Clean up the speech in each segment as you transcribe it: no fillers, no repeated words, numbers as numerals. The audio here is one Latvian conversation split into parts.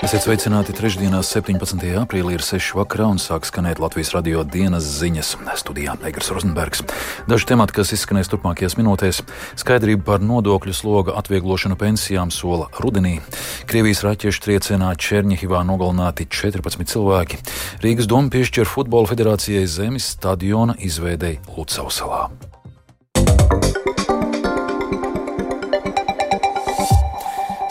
Esiet sveicināti trešdienās 17. aprīlī ir 6 vakarā un sāk skanēt Latvijas radio dienas ziņas. Studijā Egars Rozenbergs. Daži temati, kas izskanēs turpmākajās minūtēs. Skaidrība par nodokļu sloga atvieglošanu pensijām sola rudenī. Krievijas raķešu triecienā Černihivā nogalināti 14 cilvēki. Rīgas doma piešķir Futbola federācijai zemes stadiona izveidei Lucavas salā.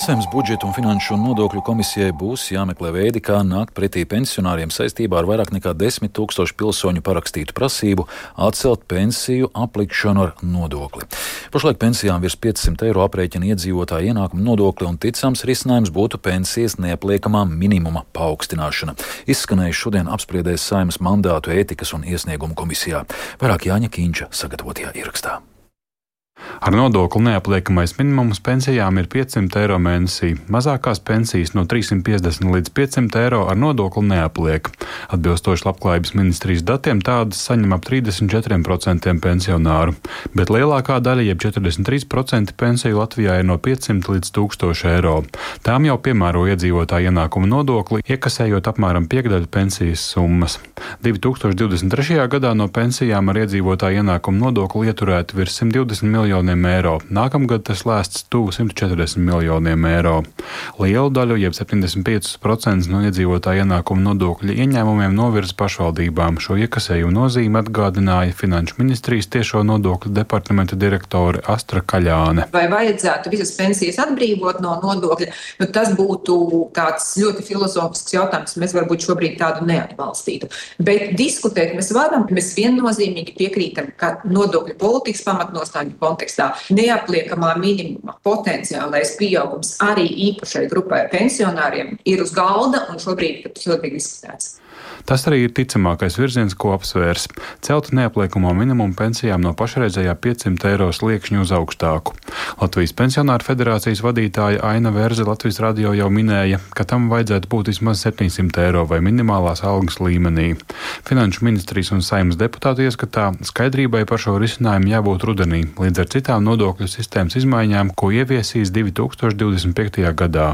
Saeimas budžeta un finanšu un nodokļu komisijai būs jāmeklē veidi, kā nākt pretī pensionāriem saistībā ar vairāk nekā 10 000 pilsoņu parakstītu prasību atcelt pensiju aplikšanu ar nodokli. Pašlaik pensijām virs 500 eiro aprēķina iedzīvotāju ienākumu nodokli un ticams risinājums būtu pensijas neapliekamā minimuma paaugstināšana. Izskanējuši šodien apspriedēs Saeimas mandātu ētikas un iesniegumu komisijā. Vairāk Jāņa Kīņša sagatavotajā ierakstā. Ar nodokli neapliekamais minimums pensijām ir 500 eiro mēnesī. Mazākās pensijas no 350 līdz 500 eiro ar nodokli neapliek. Atbilstoši Labklājības ministrijas datiem tādas saņem ap 34% pensionāru, bet lielākā daļa, jeb 43% pensiju Latvijā ir no 500 līdz 1000 eiro. Tām jau piemēro iedzīvotāju ienākumu nodokli, iekasējot apmēram piekdaļu pensijas summas. 2023. gadā no pensijām ar iedzīvotāju ienākumu nodokli ieturēti virs 120 miljoniem eiro. Nākamgad tas lēsts tuvu 140 miljoniem eiro. Lielu daļu, jeb 75% no iedzīvotāju ienākumu nodokļu ieņēmumiem novirza pašvaldībām. Šo iekasējumu nozīmi atgādināja Finanšu ministrijas tiešo nodokļu departamenta direktore Astra Kaļāne. Vai vajadzētu visas pensijas atbrīvot no nodokļa? Tas būtu tāds ļoti filozofisks jautājums. Mēs varbūt šobrīd tādu neatbalstītu. Bet diskutēt mēs varam. Mēs viennozīmīgi piekrītam, ka nodokļu politikas pamatnostāļu kontekstā neapliekamā minimuma potenciālais pieaugums arī īpašai grupai pensionāriem ir uz galda un šobrīd tas tiek izskatēts. Tas arī ir ticamākais virziens, ko apsvērs. Celt neapliekamo minimumu pensijām no pašreizējā 500 eiro sliekšņa uz augstāku. Latvijas pensionāru federācijas vadītāja Aina Verze Latvijas radio jau minēja, ka tam vajadzētu būt vismaz 700 eiro vai minimālās algas līmenī. Finanšu ministrijas un Saeimas deputāti ieskatā, skaidrībai par šo risinājumu jābūt rudenī, līdz ar citām nodokļu sistēmas izmaiņām, ko ieviesīs 2025. gadā.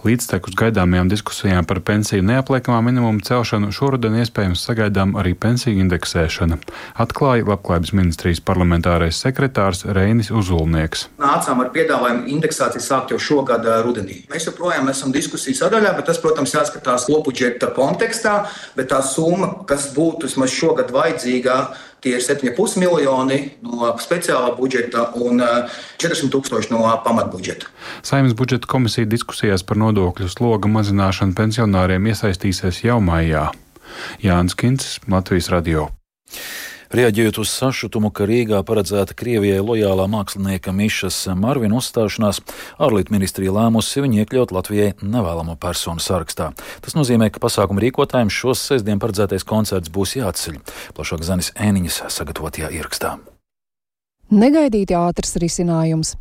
Līdztekus gaidāmajām diskusijām par pensiju neapliekamā minimuma celšanu šoruden iespējams sagaidām arī pensiju indeksēšana, atklāja Labklājības ministrijas parlamentārais sekretārs Reinis Uzulnieks. Nācām ar piedāvājumu indeksāciju sākt jau šogad rudenī. Mēs joprojām esam diskusiju sadaļā, bet tas, protams, jāskatās kopbudžeta kontekstā, bet tā summa, kas būtu vismaz šogad vajadzīgā, tie ir 7,5 miljoni no speciālā budžeta un 40 000 no pamatbudžeta. Saeimas budžeta komisija diskusijās par nodokļu sloga mazināšanu pensionāriem iesaistīsies jau maijā. Jānis Kincis, Latvijas radio. Reaģējot uz sašutumu, ka Rīgā paredzēta Krievijai lojālā mākslinieka Mišas Marvina uzstāšanās, ārlietu ministrija lēmusi viņu iekļaut Latvijai nevēlamo personu sarakstā. Tas nozīmē, ka pasākumu rīkotājiem šos sestdien paredzētais koncerts būs jāatceļ. Plašāk Zanis Ēniņas sagatavotajā ierakstā. Negaidīti ātrs risinājums.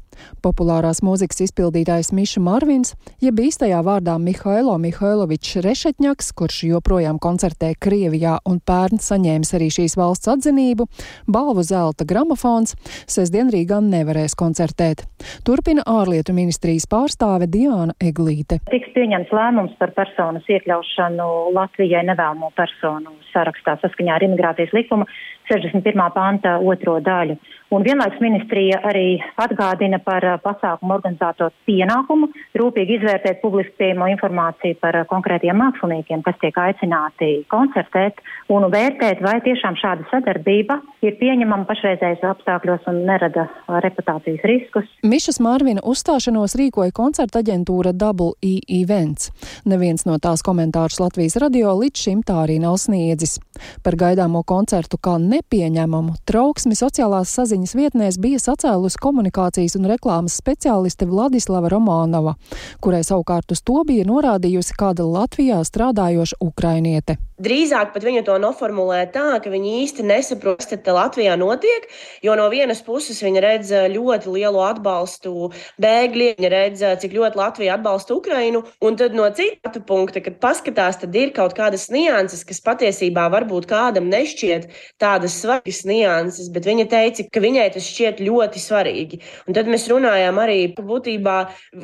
Populārās mūzikas izpildītājs Miša Marvins, jeb īstajā vārdā Mihailo Mihailovičs Rešetņaks, kurš joprojām koncertē Krievijā un pērn saņēmis arī šīs valsts atzinību, balvu Zelta gramofons, sestdien Rīgā nevarēs koncertēt. Turpina ārlietu ministrijas pārstāve Diāna Eglīte. Tiks pieņemts lēmums par personas iekļaušanu Latvijai nevēlamo personu sarakstā saskaņā ar imigrācijas likuma 61. panta 2. daļu. Un vienlaikus ministrija arī atgādina par pasākumu organizātoru pienākumu rūpīgi izvērtēt publiski pieejamo informāciju par konkrētiem māksliniekiem, kas tiek aicināti koncertēt, un vērtēt, vai tiešām šāda sadarbība ir pieņemama pašreizējos apstākļos un nerada reputācijas riskus. Mišas Marvina uzstāšanos rīkoja koncerta aģentūra Double E Events. Neviens no tās komentārus Latvijas radio līdz šim tā arī nav sniedzis. Par gaidāmo koncertu kā nepieņemamu trauksmi sociālās saziņas vietnēs bija sacēlusi komunikācijas un reklāmas speciāliste Vladislava Romanova, kurai savukārt uz to bija norādījusi kāda Latvijā strādājoša ukrainiete. Drīzāk pat viņa to noformulē tā, ka viņa īsti nesaprot, kas te Latvijā notiek, jo no vienas puses viņa redz ļoti lielu atbalstu bēgļiem, viņa redz, cik ļoti Latvija atbalsta Ukrainu, un tad no cita punkta, kad paskatās, tad ir kaut kādas nianses, kas patiesībā varbūt kādam nešķiet tādas svarīgas nianses, bet viņa teica, ka viņai tas šķiet ļoti svarīgi. Un tad mēs mēs runājām arī, ka būtībā,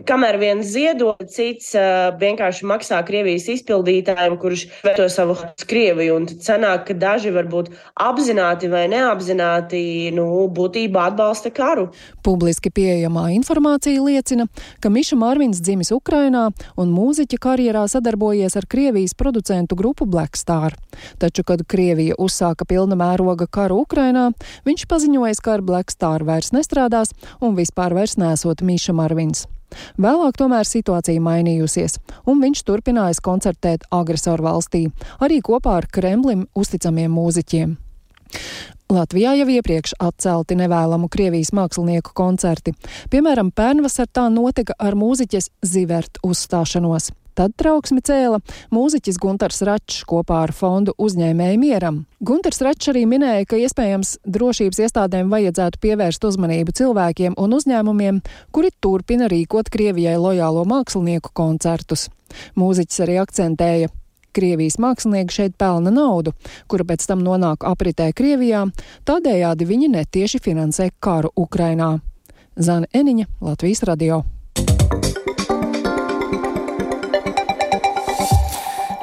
kamēr viens ziedo, cits vienkārši maksā Krievijas izpildītājiem, kurš veto savu Krieviju. Un tad sanāk, ka daži varbūt apzināti vai neapzināti, būtībā atbalsta karu. Publiski pieejamā informācija liecina, ka Miša Marvins dzimis Ukrainā un mūziķa karjerā sadarbojies ar Krievijas producentu grupu Black Star. Taču, kad Krievija uzsāka pilna mēroga karu Ukrainā, viņš paziņoja, ka ar Black Star vairs nestrādās un vispār vairs nesot Miša Marvins. Vēlāk tomēr situācija mainījusies, un viņš turpinājis koncertēt agresoru valstī, arī kopā ar Kremlim uzticamiem mūziķiem. Latvijā jau iepriekš atcelti nevēlamu Krievijas mākslinieku koncerti. Piemēram, pērnvasar tā notika ar mūziķes Zivert uzstāšanos. Tad trauksmi cēla mūziķis Guntars Račs kopā ar fondu Uzņēmēji mieram. Guntars Račs arī minēja, ka iespējams drošības iestādēm vajadzētu pievērst uzmanību cilvēkiem un uzņēmumiem, kuri turpina rīkot Krievijai lojālo mākslinieku koncertus. Mūziķis arī akcentēja: Krievijas mākslinieki šeit pelna naudu, kura pēc tam nonāk apritē Krievijā, tādējādi viņi netieši finansē karu Ukrainā. Zane Eniņa, Latvijas radio.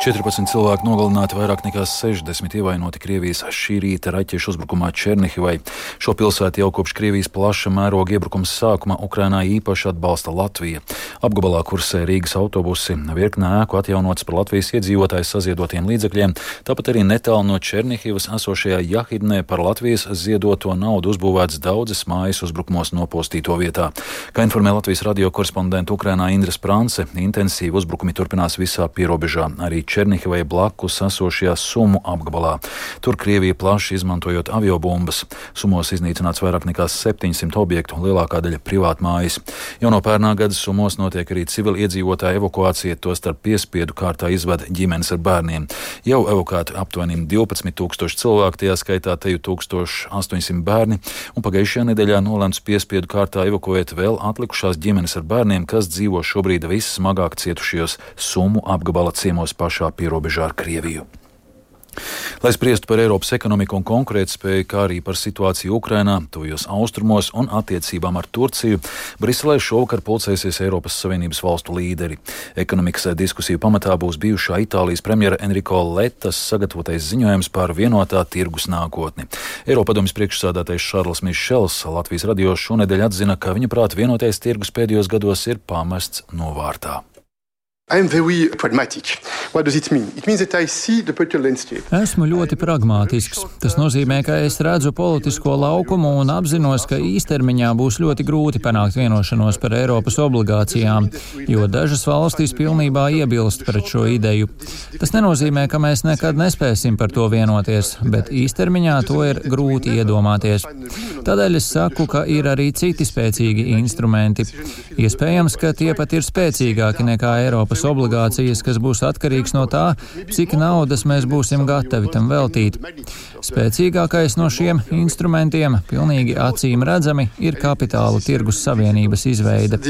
14 cilvēki nogalināti, vairāk nekā 60 ievainoti Krievijas šī rīta raķešu uzbrukumā Černihivai. Šo pilsētu jau kopš Krievijas plaša mēroga iebrukuma sākuma Ukrainā īpaši atbalsta Latvija. Apgabalā kursē Rīgas autobusi, virkne ēku atjaunotas par Latvijas iedzīvotāju saziedotiem līdzekļiem, tāpat arī netālu no Černihivas esošajā Jahidnē par Latvijas ziedoto naudu uzbūvēts daudzas mājas uzbrukumos nopostīto vietā. Kā informē Latvijas radio korespondenta Ukrainā Indra Sprance, intensīvi uzbrukumi turpinās visā pierobežā, arī Černihivai blakus esošajā Sumu apgabalā. Tur Krievija plaši izmantojot aviobumbas. Sumos iznīcināts vairāk nekā 700 objektu, lielākā daļa privātmājas. Jau no pērnā gada Sumos notiek arī civili iedzīvotāju evakuācija, tostarp piespiedu kārtā izved ģimenes ar bērniem. Jau evakuēti aptuveni 12,000 cilvēku, tajā skaitā teju 1800 bērni, un pagājušajā nedēļā nolēmts piespiedu kārtā evakuēt vēl atlikušās ģimenes ar bērniem, kas dzīvo šobrīd vissmagāk cietušajos Sumu apgabala ciemos pašā pierobežā ar Krieviju. Lai spriestu par Eiropas ekonomiku un konkurētspēju, kā arī par situāciju Ukrainā, tuvajos austrumos un attiecībām ar Turciju, Briselē šovakar pulcēsies Eiropas Savienības valstu līderi. Ekonomikas diskusiju pamatā būs bijušā Itālijas premjera Enrico Lettas sagatavotais ziņojums par vienotā tirgus nākotni. Eiropadomes priekšsādātais Šarls Mišels Latvijas radio šonedēļ atzina, ka viņa prāt vienotais tirgus pēdējos gados ir pamests novārtā. Esmu ļoti pragmātisks. Tas nozīmē, ka es redzu politisko laukumu un apzinos, ka īstermiņā būs ļoti grūti panākt vienošanos par Eiropas obligācijām, jo dažas valstis pilnībā iebilst pret šo ideju. Tas nenozīmē, ka mēs nekad nespēsim par to vienoties, bet īstermiņā to ir grūti iedomāties. Tādēļ es saku, ka ir arī citi spēcīgi instrumenti. Iespējams, ka tie pat ir spēcīgāki nekā Eiropas obligācijas, kas būs atkarīgs no tā, cik naudas mēs būsim gatavi tam veltīt. Spēcīgākais no šiem instrumentiem, pilnīgi acīm redzami, ir kapitāla tirgus savienības izveide.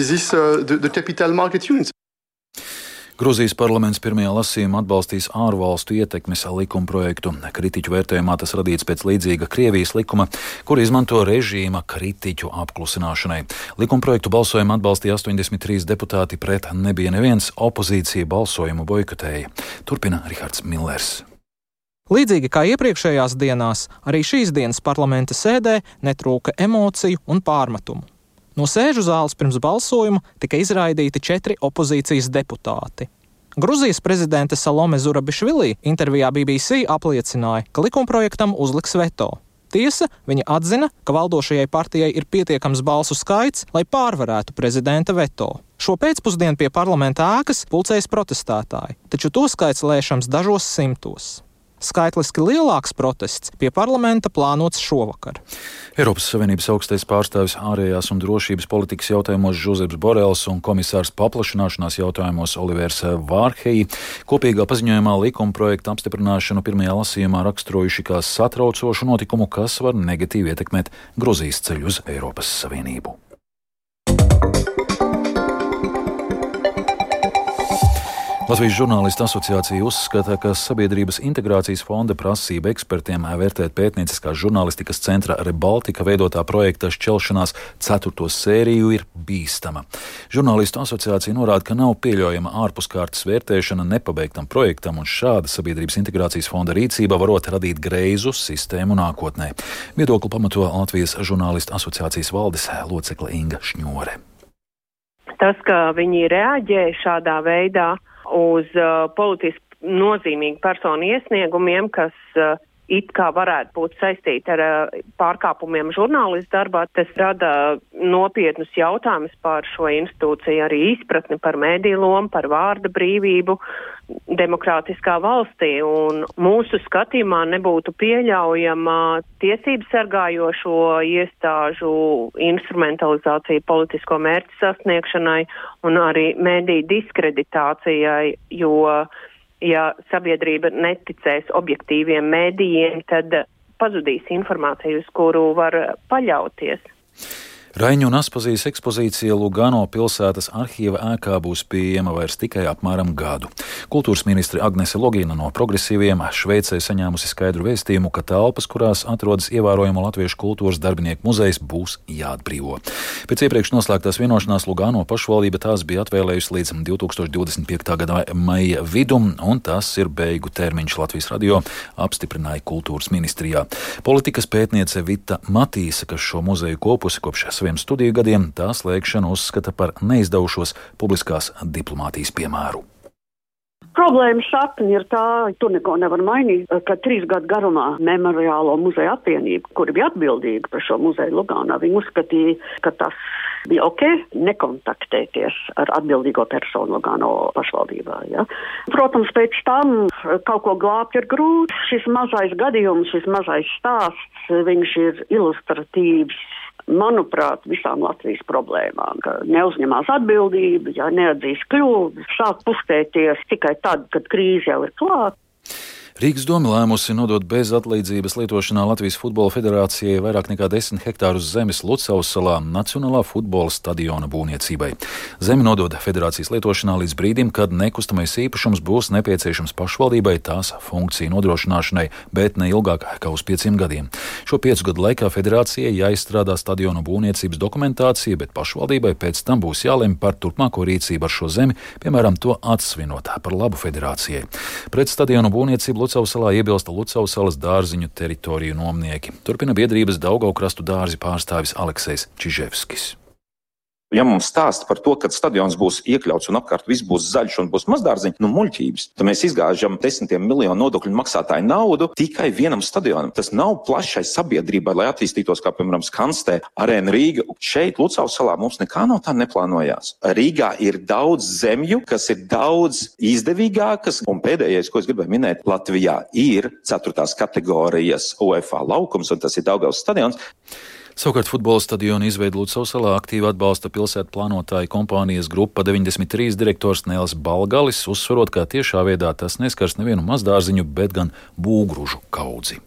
Gruzijas parlaments pirmajā lasījumā atbalstīs ārvalstu ietekmes likumprojektu. Kritiķu vērtējumā tas radīts pēc līdzīga Krievijas likuma, kur izmanto režīma kritiķu apklusināšanai. Likumprojektu balsojumu atbalstīja 83 deputāti, pret nebija neviens, opozīcija balsojumu boikotēja. Turpina Rihards Millers. Līdzīgi kā iepriekšējās dienās, arī šīs dienas parlamenta sēdē netrūka emociju un pārmetumu. No sēžu zāles pirms balsojuma tika izraidīti 4 opozīcijas deputāti. Gruzijas prezidente Salome Zurabišvili intervijā BBC apliecināja, ka likumprojektam uzliks veto. Tiesa, viņa atzina, ka valdošajai partijai ir pietiekams balsu skaits, lai pārvarētu prezidenta veto. Šo pēcpusdienu pie parlamenta ēkas pulcējas protestētāji, taču to skaits lēšams dažos simtos. Skaitliski lielāks protests pie parlamenta plānots šovakar. Eiropas Savienības augstais pārstāvis ārējās un drošības politikas jautājumos Žozeps Borels un komisārs paplašināšanās jautājumos Olivers Vārheji kopīgā paziņojumā likumprojekta apstiprināšanu pirmajā lasījumā raksturojuši kā satraucošu notikumu, kas var negatīvi ietekmēt Gruzijas ceļu uz Eiropas Savienību. Latvijas žurnālistu asociācija uzskata, ka Sabiedrības integrācijas fonda prasība ekspertiem vērtēt pētnieciskās žurnālistikas centra Rebaltika veidotā projekta šķelšanās 4. sēriju ir bīstama. Žurnālistu asociācija norāda, ka nav pieļaujama ārpuskārtas vērtēšana nepabeigtam projektam, un šāda Sabiedrības integrācijas fonda rīcība varot radīt greizu sistēmu nākotnē. Viedokli pamato Latvijas žurnālistu asociācijas valdes locekle Inga Šņore. Tas, ka viņi reaģē šādā veidā uz politiski nozīmīgu personu iesniegumiem, kas it kā varētu būt saistīti ar pārkāpumiem žurnālistu darbā, tas rada nopietnus jautājumus par šo institūciju, arī izpratni par mediju lomu, par vārda brīvību demokrātiskā valstī. Un mūsu skatījumā nebūtu pieļaujama tiesību sargājošo iestāžu instrumentalizācija politisko mērķu sasniegšanai un arī mediju diskreditācijai, jo ja sabiedrība neticēs objektīviem mēdījiem, tad pazudīs informāciju, uz kuru var paļauties. Raiņu un Aspazijas ekspozīcija Lugano pilsētas arhīva ēkā būs pieejama vairs tikai apmēram gadu. Kultūras ministre Agnese Logina no Progresīviem Šveicē saņēmusi skaidru vēstījumu, ka telpas, kurās atrodas ievērojamo latviešu kultūras darbinieku muzejs, būs jāatbrīvo. Pēc iepriekš noslēgtās vienošanās Lugano pašvaldība tās bija atvēlējusi līdz 2025. gada maija vidum, un tas ir beigu termiņš. Latvijas radio apstiprināja kultūras ministrijā. Politikas pētniece Vita Matīsa, kas šo muzeju kopusi kopš saviem studiju gadiem, tā slēgšanu uzskata par neizdevušos publiskās diplomātijas piemēru. Problēma sakne ir tā, tur neko nevar mainīt, ka 3 gadu garumā Memoriālo muzeja apvienība, kuri bija atbildīga par šo muzeju Lugānā, viņi uzskatīja, ka tas bija ok, nekontaktēties ar atbildīgo personu Lugano pašvaldībā. Ja? Protams, pēc tam kaut ko glābt ir grūti. Šis mazais gadījums, šis mazais stāsts, viņš ir ilustratīvs, manuprāt, visām Latvijas problēmām, ka neuzņemās atbildību, ja neatzīst kļūdas, sāk pustēties tikai tad, kad krīze jau ir klāta. Rīgas doma lēmusi nodot bez atlīdzības lietošanā Latvijas Futbola federācijai vairāk nekā 10 hektārus zemes Lucavas salā Nacionālā futbola stadiona būvniecībai. Zemi nodod federācijas lietošanā līdz brīdim, kad nekustamais īpašums būs nepieciešams pašvaldībai tās funkciju nodrošināšanai, bet ne ilgāk kā uz 5 gadiem. Šo 5 gadu laikā federācijai jāizstrādā stadiona būvniecības dokumentācija, bet pašvaldībai pēc tam būs jālemj par turpmāko rīcību ar šo zemi, piemēram, to atsvinot par labu federācijai. Pret stadiona būvniecību Lucavas salā iebilsta Lucavas salas dārziņu teritoriju nomnieki. Turpina biedrības Daugavkrastu dārzi pārstāvis Aleksejs Čiževskis. Ja mums stāsta par to, ka stadions būs iekļauts un apkārt viss būs zaļš un būs mazdārziņi, muļķības, tad mēs izgāžam 10 miljonu nodokļu maksātāju naudu tikai vienam stadionam. Tas nav plašai sabiedrībai, lai attīstītos, kā piemēram Skanstē, Arēna Rīga. Šeit Lucavas salā mums nekā no tā neplānojās. Rīgā ir daudz zemju, kas ir daudz izdevīgākas, un pēdējais, ko es gribēju minēt, Latvijā ir 4. kategorijas UEFA laukums, un tas ir Daugavas stadions. Savukārt futbola stadionu izveidu Lucavas salā aktīvi atbalsta pilsētu plānotāju kompānijas Grupa 93 direktors Nēls Balgalis, uzsverot, ka tiešā veidā tas neskars nevienu mazdārziņu, bet gan būgružu kaudzi.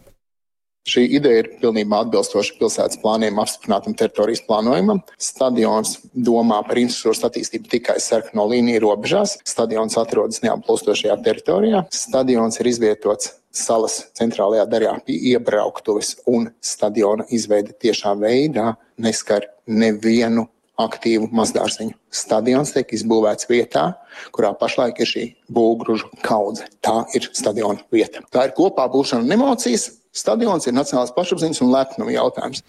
Šī ideja ir pilnībā atbilstoša pilsētas plāniem apstiprinātam teritorijas plānojumam. Stadions domā par infrastruktūras attīstību tikai sarkano līniju robežās. Stadions atrodas neapplūstošajā teritorijā. Stadions ir izvietots salas centrālajā daļā pie iebrauktuves, un stadiona izveide tiešā veidā neskar nevienu aktīvu mazdārziņu. Stadions tiek izbūvēts vietā, kurā pašlaik ir šī būgružu kaudze. Tā ir stadiona vieta. Tā ir kopā būšana un emocijas. Stadions ir nacionālās pašapziņas un lepnuma jautājums.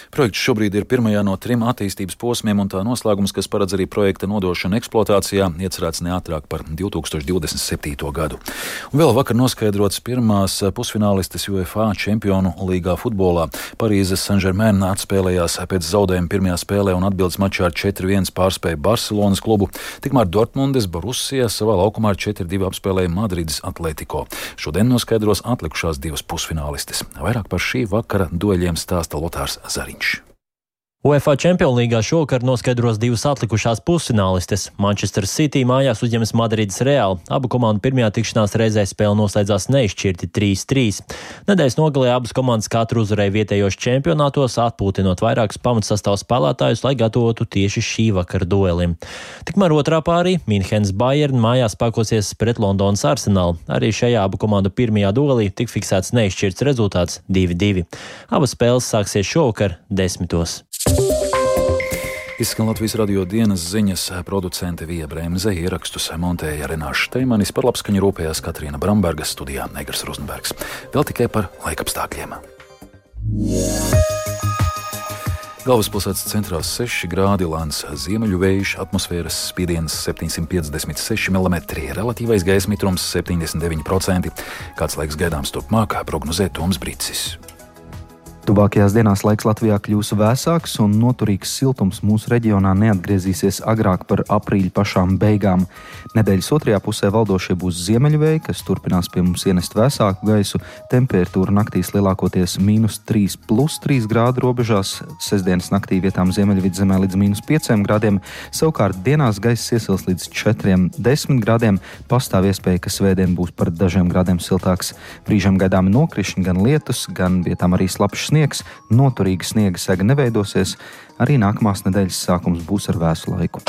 Projekts šobrīd ir pirmajā no 3 attīstības posmiem, un tā noslēgums, kas paredz arī projekta nodošanu eksploatācijā, iecerēts neātrāk par 2027. gadu. Un vēl vakar noskaidrots pirmās pusfinālistes UEFA čempionu līgā futbolā. Parīzes Saint-Germain atspēlējās pēc zaudējuma pirmajā spēlē un atbildes mačā ar 4-1 pārspēja Barcelonas klubu. Tikmēr Dortmundes Borussia savā laukumā ar 4-2 apspēlēja Madrides Atletico. Šodien noskaidros atlikušās 2 pusfinālistes. Vairāk par šī vakara dueļiem stāsta Lotārs Zariņš. UEFA Champions līgā šovakar noskaidros divas atlikušās pusfinālistes. Manchester City mājās uzņemas Madrides Real. Abu komandu pirmajā tikšanās reizē spēle noslēdzās neizšķirti 3-3. Nedēļas nogalē abas komandas katru uzvarēja vietējos čempionātos, atpūtinot vairākus pamatsastāvu spēlētājus, lai gatavotu tieši šī vakara duelim. Tikmēr otrā pārī Minhenes Bayern mājās pakosies pret Londonas Arsenalu. Arī šajā abu komandu pirmajā duelī tik fiksēts neizšķirts rezultāts 2-2. Abas spēles sāksies šovakar 10. Izskan Latvijas radio dienas ziņas, producente Vija Bremze, ierakstus montēja Renāša Steimanis, par labskaņu rūpējās Katrīna Bramberga, studijā Negras Rozenbergs. Vēl tikai par laikapstākļiem. Galvaspilsētas centrā 6 grādi, lēns ziemeļu vējš, atmosfēras spiediens 756 mm, relatīvais gaisa mitrums 79%. Kāds laiks gaidāms turpmāk, prognozē Toms Bricis. Tuvākajās dienās laiks Latvijā kļūs vēsāks un noturīgs siltums mūsu reģionā neatgriezīsies agrāk par aprīļa pašām beigām. Nedēļas otrajā pusē valdošie būs ziemeļvēji, kas turpinās pie mums ienest vēsāku gaisu. Temperatūra naktīs lielākoties -3 + 3 grādu robežās, sestdienas naktī vietām Ziemeļvidzemē līdz -5 grādiem, savukārt dienās gaiss iesils līdz 4-10 grādiem, pastāv iespēja, ka svētdien būs par dažiem grādiem siltāks. Brīžam gaidāmi nokrišņi, gan lietus, gan vietām arī slapjš sniegs, noturīga sniega sega neveidosies, arī nākamās nedēļas sākums būs ar vēsu laiku.